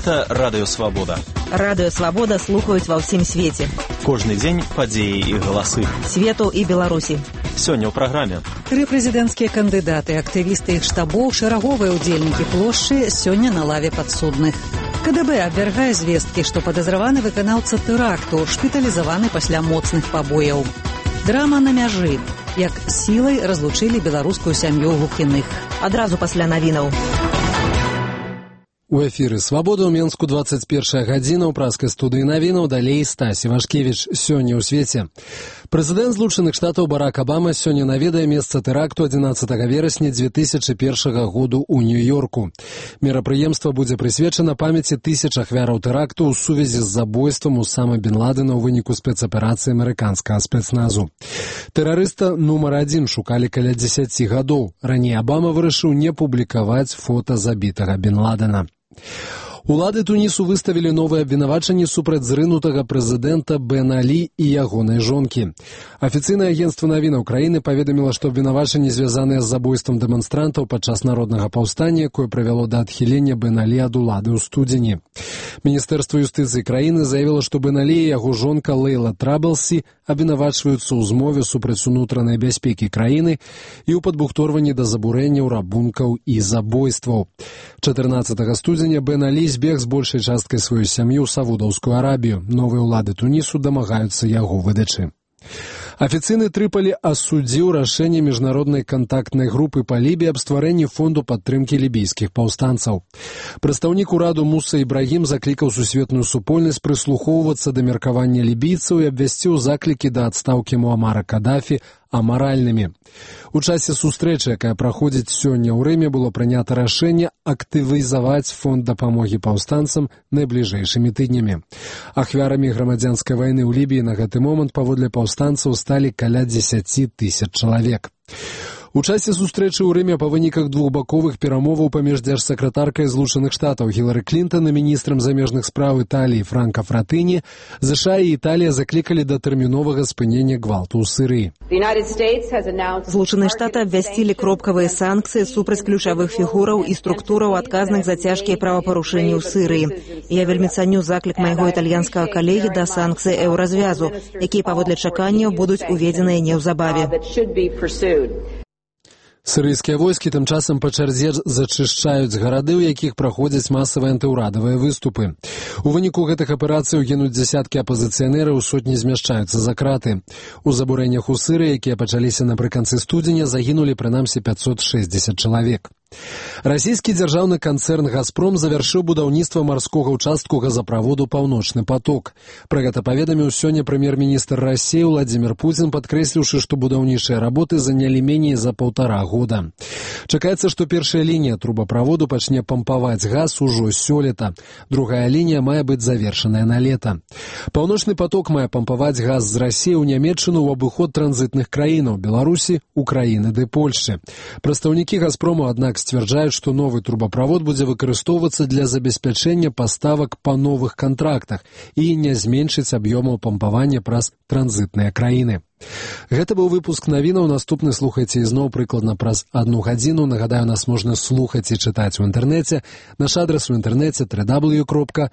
Гэта Радыё Свабода. Радыё Свабода слухаюць ва ўсім свеце. Кожны дзень падзеі і галасы. Свету і Беларусі. Сёння ў праграме. 3 прэзідэнцкія кандыдаты, актывісты іх штабоў, шэраговыя ўдзельнікі плошчы сёння на лаве падсудных. КДБ абвяргае звесткі, што падазраваны выканаўца тэракту, шпіталізаваны пасля моцных пабояў. Драма на мяжы. Як сілай разлучылі беларускую сям'ю глухіных. Адразу пасля навінаў. У эфіры «Свабода» ў Менску 21 гадзіна ў праскай студыі навінаў, далей Стась Івашкевіч. Сёння ў свеце. Прэзідэнт Злучаных Штатаў Барак Абама сёння наведае месца тэракту 11 верасня 2001 году ў Нью-Йорку. Мерапрыемства будзе прысвечана памяці тысяч ахвяраў тэракту ў сувязі з забойствам Усама бен Ладена ў выніку спецаперацыі амерыканскага спецназу. Тэрарыста нумар 1 шукалі каля 10 гадоў. Раней Абама вырашыў не публікаваць фота забітага бен Ладена. Улады Тунісу выставілі новыя абвінавачанні супраць зрынутага прэзідэнта Бен Алі і ягонай жонкі. Афіцыйнае агенцтва навінаў краіны паведаміла, што абвінавачанні звязаныя з забойствам дэманстрантаў падчас народнага паўстання, якое прывяло да адхілення Бен Алі ад улады ў студзені. Міністэрства юстыцыі краіны заявіла, што Бен Алі і яго жонка Лейла Трабелсі абвінавачваюцца ў змове супраць унутранай бяспекі краіны і ў падбухторванні да забурэнняў, рабункаў і забойстваў. 14 студзеня Бен Алі збег з большай часткай сваёй сям'і ў Саудаўскую Арабію. Новыя ўлады Тунісу дамагаюцца яго выдачы. Афіцыйны Трыполі асудзіў рашэнне міжнароднай кантактнай групы па Лібіі аб стварэнні фонду падтрымкі лібійскіх паўстанцаў. Прадстаўнік ураду Муса Ібрагім заклікаў сусветную супольнасць прыслухоўвацца да меркавання лібійцаў і абвясціў заклікі да адстаўкі Муамара Кадафі амаральнымі. У часе сустрэчы, якая праходзіць сёння ў Рыме, было прынята рашэнне актывізаваць фонд дапамогі паўстанцам найбліжэйшымі тыднямі. Ахвярамі грамадзянскай вайны ў Лібіі на гэты момант паводле паўстанцаў сталі каля 10 тысяч чалавек. У часе сустрэчы ў Рыме па выніках двухбаковых перамоваў паміж дзяржсакратаркай Злучаных Штатаў Гілары Клінтан і міністрам замежных спраў Італіі Франка Фратэні ЗША і Італія заклікалі да тэрміновага спынення гвалту ў Сірыі. Злучаныя Штаты абвясцілі кропкавыя санкцыі супраць ключавых фігураў і структураў адказных за цяжкія правапарушэнні ў Сірыі. Я вельмі цаню заклік майго італьянскага калегі да санкцый еўразвязу, якія паводле чаканняў будуць уведзеныя неўзабаве. Сірыйскія войскі тым часам па чарзе зачышчаюць гарады, у якіх праходзяць масавыя антыўрадавыя выступы. У выніку гэтых аперацыяў гінуць дзясяткі апазіцыянераў, сотні змяшчаюцца за краты. У забурэннях у Сірыі, якія пачаліся напрыканцы студзеня, загінулі прынамсі 560 чалавек. Расійскі дзяржаўны канцэрн «Газпром» завяршыў будаўніцтва марскога ўчастку газаправоду «Паўночны поток». Пра гэта паведаміў сёння прэм'ер-міністр Расіі Владзімір Пуцін, падкрэсліўшы, што будаўнічыя работы занялі меней за 1,5 года. Чакаецца, што першая лінія трубаправоду пачне пампаваць газ ужо сёлета. Другая лінія мае быць завершаная на лета. «Паўночны поток» мае пампаваць газ з Расіі ў Нямецчыну ў абыход транзітных краінаў – Беларусі, Украіны ды Польшчы. Прадстаўнікі «Газпрому», аднак, сцвярджаюць, што новы трубаправод будзе выкарыстоўвацца для забеспячэння паставак па новых кантрактах і не зменшыць аб'ёмаў пампавання праз транзітныя краіны. Гэта быў выпуск навінаў. Наступны слухайце ізноў прыкладна праз 1 гадзіну. Нагадаю, нас можна слухаць і чытаць у інтэрнэце. Наш адрас у інтэрнэце www.swabodka.org.